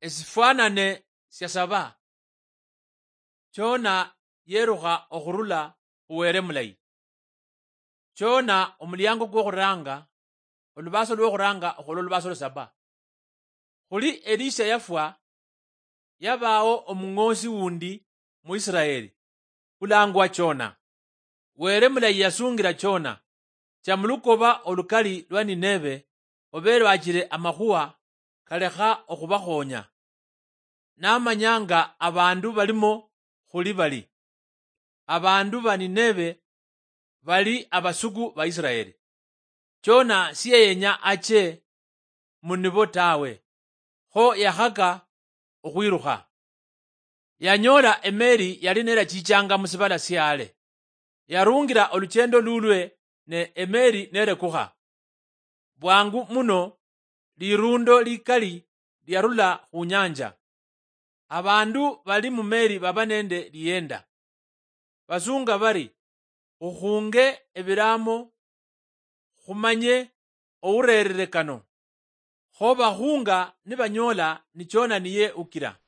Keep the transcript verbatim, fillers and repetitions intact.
Esifwanane sia saba. Chona yerukha okhurula khu Wele mulayi. Chona omuliango kwokhuranga, olubaso lwokhuranga okhula olubaso lwa saba. Khuli Elisha yafwa, yabawo omung'oosi wundi mu Israeli, ulangwa Chona. Wele mulayi yasungila Chona, cha mulukoba olukali lwa Nineve, obe lwachile amakhuwa kalekha okhubakhonya. Namanyanga abandu balimo khuli bali. Abandu ba Nineve bali abasuku ba Israeli. Chona siyeyenya ache munibo tawe, kho yakhaka okhwirukha. Yanyoola emeeri yali nerachichanga musibala siale. Yarungira oluchendo lulwe ne emeeri nerekukha. Bwangu muno lirundo likali liarula khunyanja. Abandu bali mumeeri baba nende lienda. Basunga bari, "Khukhunge ebiramo khumanye ourerere kano." Kho bakhunga nibanyoola ni Chona niye ukira.